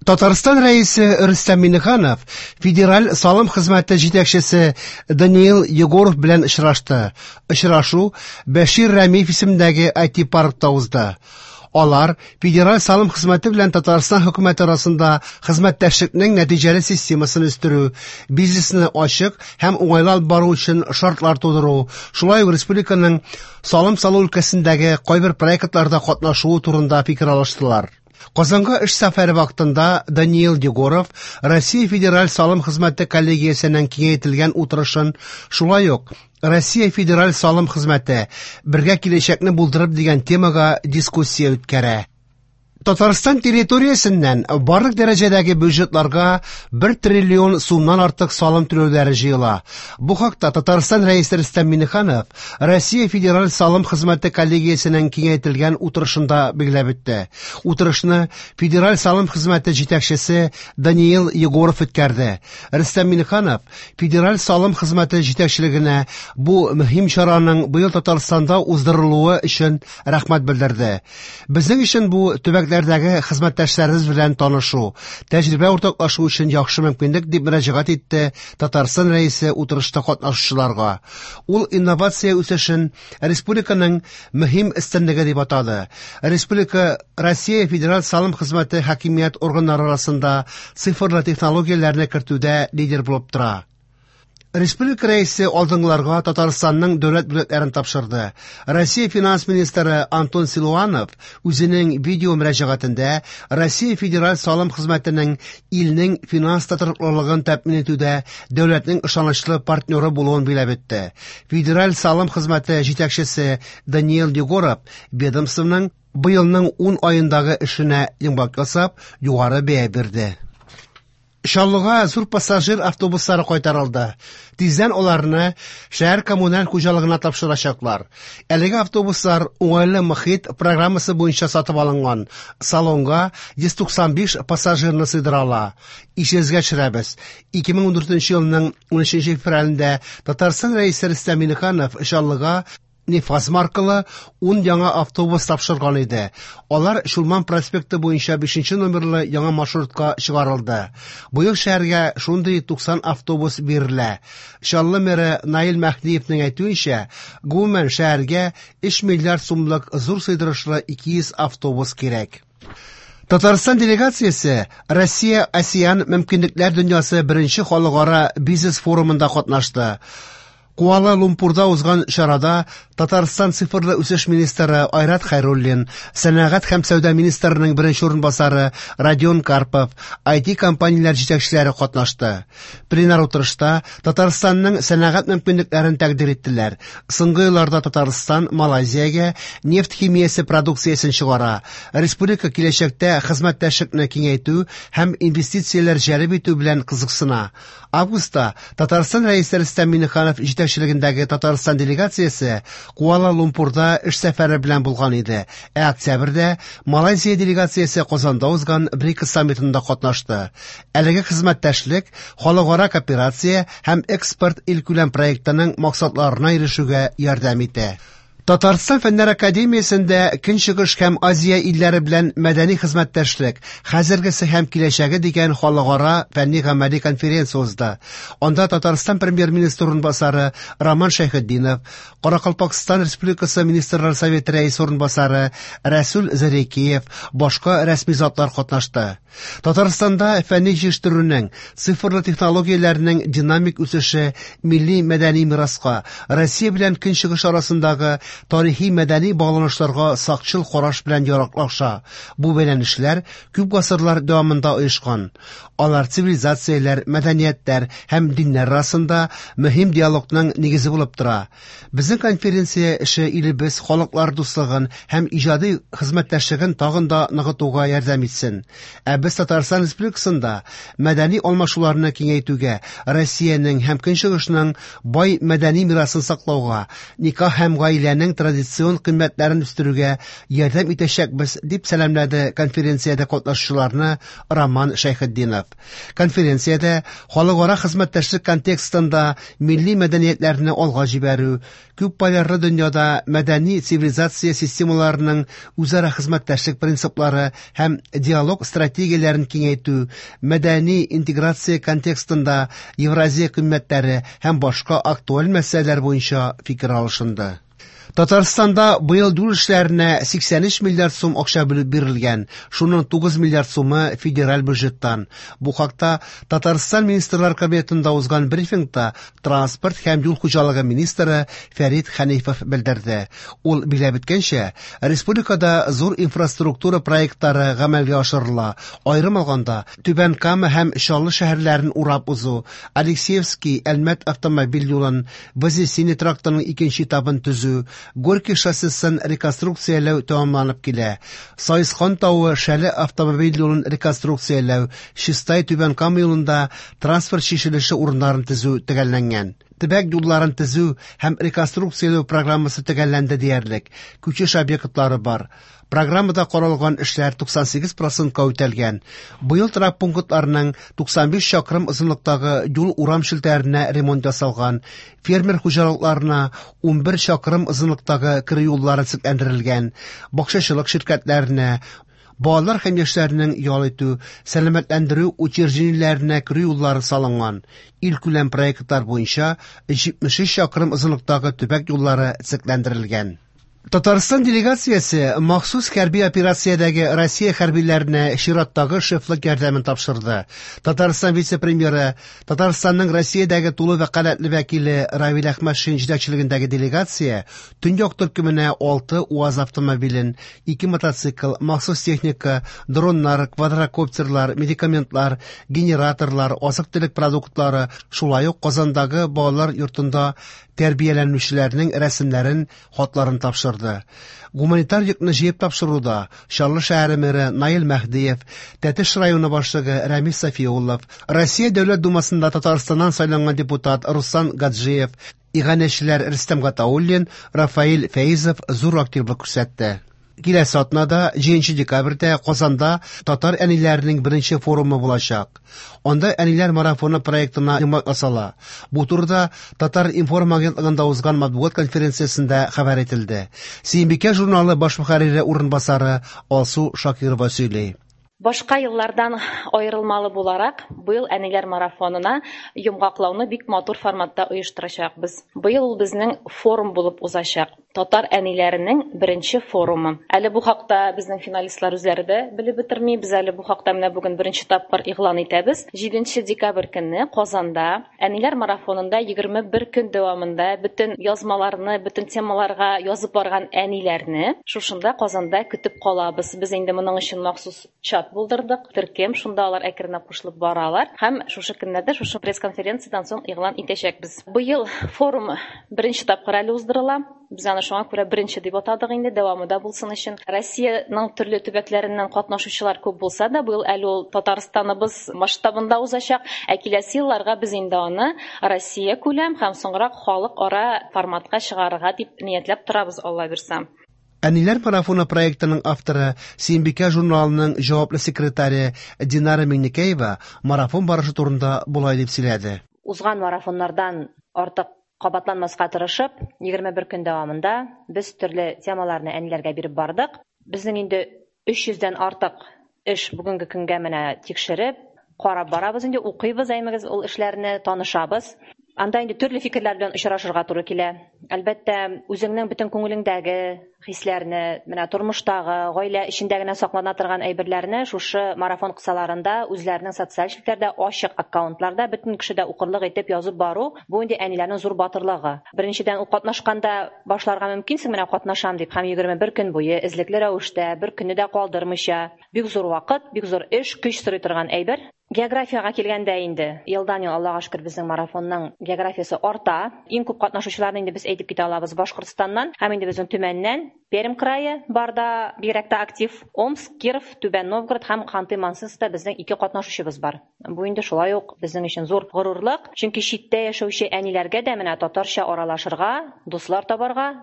Татарстан Рәисе Рөстәм Миңнеханов Федераль салым хезмәте җитәкчесе Даниил Егоров белән очрашты. Очрашу Бәшир Рәмиев исемендәге IT-паркта узды. Алар Федераль салым хезмәте белән Татарстан хөкүмәте арасында хезмәттәшлекнең нәтиҗәле системасын үстерү, бизнесны ачык һәм уңайлы алып бару өчен шартлар тудыру, шулай ук республиканың салым салу өлкәсендәге кайбер проектларда катнашуы турында фикер алыштылар. Казанга эш сәфәре вакытында Даниил Егоров Россия Федераль салым хезмәте коллегиясенең киңәйтелгән утырышын, шулай ук Россия Федераль салым хезмәте бергә киләчәкне булдырып дигән темага дискуссия үткәрә. Татарстан территориясеннән барлык дәрәҗәдәге бюджетларга 1 триллион сумнан артык салым түләүләре җыела. Бу хакта Татарстан Рәисе Рөстәм Миңнеханов Россия Федераль салым хезмәте коллегиясенең киңәйтелгән утырышында билгеләп үтте. Утырышны Федераль салым хезмәте җитәкчесе Даниил Егоров үткәрде. Рөстәм Миңнеханов Федераль салым хезмәте җитәкчелегенә бу мөһим чараның быел Татарстанда уздырылуы өчен рәхмәт белдерде. Безнең өчен бу төбәкләрдәге хезмәттәшләребез белән танышу, тәҗрибә уртаклашу өчен яхшы мөмкинлек, дип мөрәҗәгать итте Татарстан Рәисе утырышта катнашучыларга. Ул инновация үсешен республиканың мөһим өстенлеге дип атады. Республика Россия Федераль салым хезмәте хакимият органнары арасында цифрлы технологияләрне кертүдә лидер булып тора. Республика Рәисе алдынгыларга Татарстанның дәүләт бүләкләрен тапшырды. Россия финанс министры Антон Силуанов үзенең видео мөрәҗәгатендә Россия Федераль салым хезмәтенең илнең финанс тотрыклылыгын тәэмин итүдә дәүләтнең ышанычлы партнеры булуын билгеләп үтте. Федераль салым хезмәте җитәкчесе Даниил Егоров ведомствоның быелның 10 аендагы эшенә йомгак ясап, югары бәя бирде. Чаллыга зур пассажир автобуслары кайтарылды. Тиздән аларны шәһәр коммуналь хуҗалыгына тапшырачаклар. Әлеге автобуслар уңайлы мохит программасы буенча сатып алынган. Салонга 195 пассажирны сыйдыра ала. Исегезгә төшерәбез. 2014 елның 13 февралендә Татарстан Рәисе Рөстәм Миңнеханов Чаллыга Нефаз маркалы 10 яңа автобус тапшырган иде. Алар Чулман проспекты буенча 5 номерлы яңа маршрутка чыгарылды. Быел шәһәргә шундый 90 автобус бирелә. Чаллы мэры Наил Мәһдиевнең әйтүенчә, гомумән шәһәргә 3 миллиард сумлык зур сыйдырышлы 200 автобус кирәк. Татарстан делегациясе Россия-АСЕАН мөмкинлекләр дөньясы беренче халыкара бизнес форумында катнашты. Куала-Лумпурда узган чарада Татарстан цифрлы үсеш министры Айрат Хәйруллин, сәнәгать һәм сәүдә министрының беренче урынбасары Родион Карпов, IT компанияләр җитәкчеләре катнашты. Пленар утырышта Татарстанның сәнәгать мөмкинлекләрен тәкъдир иттеләр. Соңгы елларда Татарстан Малайзиягә нефть химиясе продукциясен чыгара. Республика киләчәктә хезмәттәшлекне киңәйтү һәм инвестицияләр җәлеп итү белән кызыксына. Августта Татарстан Рәисе Рөстәм Миңнеханов җитәкчелегендәге Татарстан делегациясе Куала-Лумпурда эш сәфәре белән булган иде. Ә октябрьдә Малайзия делегациясе Казанда узган БРИКС саммитында катнашты. Әлеге хезмәттәшлек халыкара кооперация һәм экспорт илкүләм проектының максатларына ирешүгә ярдәм итә. Татарстан Фәннәр академиясендә Көнчыгыш һәм Азия илләре белән мәдәни хезмәттәшлек, хәзергесе һәм киләчәге дигән халыкара фәнни гамәли конференция узды. Анда Татарстан премьер-министры урынбасары Роман Шәйхетдинов, Каракалпакстан Республикасы Министрлар Советы рәисе урынбасары Рәсүл Зарекеев, башка рәсми затлар катнашты. Татарстанда фәнни җитештерүнең, цифрлы технологияләрнең динамик үсеше милли мәдәни мираска, Россия белән Көнчыгыш арасындагы тарихи мәдәни багланышларга сакчыл караш белән яраклаша. Бу бәйләнешләр күп гасырлар дәвамында оешкан. Алар цивилизацияләр, мәдәниятләр һәм диннәр арасында мөһим диалогның нигезе булып тора. Безнең конференция эше илебез халыклар дуслыгын һәм иҗади хезмәттәшлеген тагын да ныгытуга ярдәм итсен. Ә без Татарстан Республикасында мәдәни алмашуларны киңәйтүгә, Россиянең һәм Көнчыгышның бай мәдәни мирасын саклауга, никах һәм гаиләнең милләтнең традицион кыйммәтләрен үстерүгә ярдәм итәчәкбез, дип сәламләде конференциядә катнашучыларны Роман Шәйхетдинов. Конференциядә халыкара хезмәттәшлек контекстында милли мәдәниятләрне алга җибәрү, күп полярлы дөньяда мәдәни цивилизация системаларының үзара хезмәттәшлек принциплары һәм диалог стратегияләрен киңәйтү, мәдәни интеграция контекстында Евразия кыйммәтләре һәм башка актуаль мәсьәләләр буенча фикер алышынды. Татарстанда быел юл эшләренә 83 миллиард сум акча бүлеп бирелгән, шуның 9 миллиард сумы федераль бюджеттан. Бу хакта Татарстан Министрлар Кабинетында узган брифингта транспорт һәм юл хуҗалыгы министры Фәрит Хәнифов белдерде. Ул билгеләп үткәнчә, республикада зур инфраструктура проектлары гамәлгә ашырыла. Аерым алганда, Түбән Кама һәм Чаллы шәһәрләрен урап узу, Алексеевский Әлмәт автомобиль юлын, Вознесение трактының икенче этабын төзү, Горький шоссесын реконструкцияләү тәмамланып килә. Саескан тавы Шәле автомобиль юлын реконструкцияләү, Чистай Түбән Кама юлында транспорт чишелеше урыннарын төзү төгәлләнгән. Төбәк юлларын төзү һәм реконструкцияләү программасы төгәлләнде диярлек. Күчеш объектлары бар. Программада каралган эшләр 98 процентка үтәлгән. Быел торак пунктларының 95 чакрым озынлыктагы юл урам челтәренә ремонт ясалган, фермер хуҗалыкларына 11 чакрым озынлыктагы керү юллары төзекләндерелгән, бакчачылык ширкәтләренә, балалар һәм яшьләрнең ял итү, сәламәтләндерү учреждениеләренә керү юллары салынган. Илкүләм проектлар буенча 73 чакрым озынлыктагы төбәк юллары төзекләндерелгән. Татарстан делегациясе махсус хәрби операциядәге Россия хәрбиләренә чираттагы шефлык ярдәмен тапшырды. Татарстан вице-премьеры, Татарстанның Россиядәге тулы вәкаләтле вәкиле Равил Әхмәтшин җитәкчелегендәге делегация Төньяк төркеменә 6 УАЗ автомобилен, 2 мотоцикл, махсус техника, дроннар, квадрокоптерлар, медикаментлар, генераторлар, азык-төлек продуктлары, шулай ук Казандагы балалар йортында тәрбияләнүчеләрнең рәсемнәрен, хатларын тапшырды. Гуманитар йөкне җыеп тапшыруда Чаллы шәһәре мэры Наил Мәһдиев, Тәтеш районы башлыгы Рәмис Сафиуллов, Россия Дәүләт Думасында Татарстаннан сайланган депутат Руслан Гаджиев, иганәчеләр Рөстәм Гатауллин, Рафаэль Фәизов зур активлык күрсәтте. Киләсе атнада, 7 декабрьдә Казанда татар әниләренең беренче форумы булачак. Анда Әниләр марафоны проектына йомгак ясала. Бу турыда Татар-информ агентлыгында узган матбугат конференциясендә хәбәр ителде. Сөембикә журналы баш мөхәррире урынбасары Алсу Шакирова сөйли. Башка еллардан аерылмалы буларак, быел Әниләр марафонына йомгаклауны бик матур форматта оештырачакбыз. Быел ул безнең форум булып узачак. Татар әниләренең беренче форумы. Әле бу хакта безнең финалистлар үзләре дә белеп бетерми. Без әле бу хакта менә бүген беренче тапкыр игълан итәбез. 7 декабрь көнне Казанда Әниләр марафонында 21 көн дәвамында бөтен язмаларны, бөтен темаларга язып барган әниләрне шушында Казанда көтеп калабыз. Без инде моның өчен махсус чат булдырдык, төркем, шунда алар әкренләп кушылып баралар һәм шушы көннәрдә шушы пресс-конференциядән соң игълан итәчәкбез. Быел форум беренче тапкыр әле уздырыла. Без аны шуңа күрә беренче дип атадык инде, дәвамы да булсын өчен. Россиянең төрле төбәкләреннән катнашучылар күп булса да, быел әле ул Татарстаныбыз масштабында узачак. Ә киләсе елларга без инде аны Россия күләм һәм соңрак халыкара форматка чыгарырга дип ниятләп торабыз, Алла бирсә. Әниләр марафоны проектының авторы, Сөембикә журналының җаваплы секретаре Динара Миңнекәева марафон барышы турында болай дип сөйләде. Узган марафоннардан артык кабатланмаска тырышып, 21 көн дәвамында без төрле темаларны әниләргә биреп бардык. Безнең инде 300дән артык эш бүгенге көнгә менә тикшереп, карап барабыз инде, укыйбыз әймегез ул эшләрне, танышабыз. Анда инде төрле фикерләр белән очрашырга туры килә. Әлбәттә, үзеңнең бөтен күңелеңдәге хисләрне, менә тормыштагы, гаилә эчендә генә саклана торган әйберләрне шушы марафон кысаларында үзләренең социаль челтәрдә ачык аккаунтларда бөтен кеше дә укырлык итеп язып бару, бу инде әниләрнең зур батырлыгы. Беренчедән, ул катнашканда башларга мөмкинсең, менә катнашам дип, һәм 21 көн буе эзлекле рәвештә, бер көнне дә калдырмыйча, бик зур вакыт, бик зур эш, көч сорый торган әйбер. Географиягә килгәндә инде, елдан-ел, Аллага шөкер, безнең марафонның географиясе арта. Иң күп катнашучыларны инде без әйтеп китә алабыз Башкортстаннан һәм инде безнең Төмәннән, Пермь крае барда бигрәк тә актив. Омск, Киров, Түбән Новгород һәм Ханты-Мансийскта безнең ике катнашучыбыз бар. Бу инде шулай ук безнең өчен зур горурлык, чөнки читтә яшәүче әниләргә дә менә татарча аралашырга, дуслар табарга.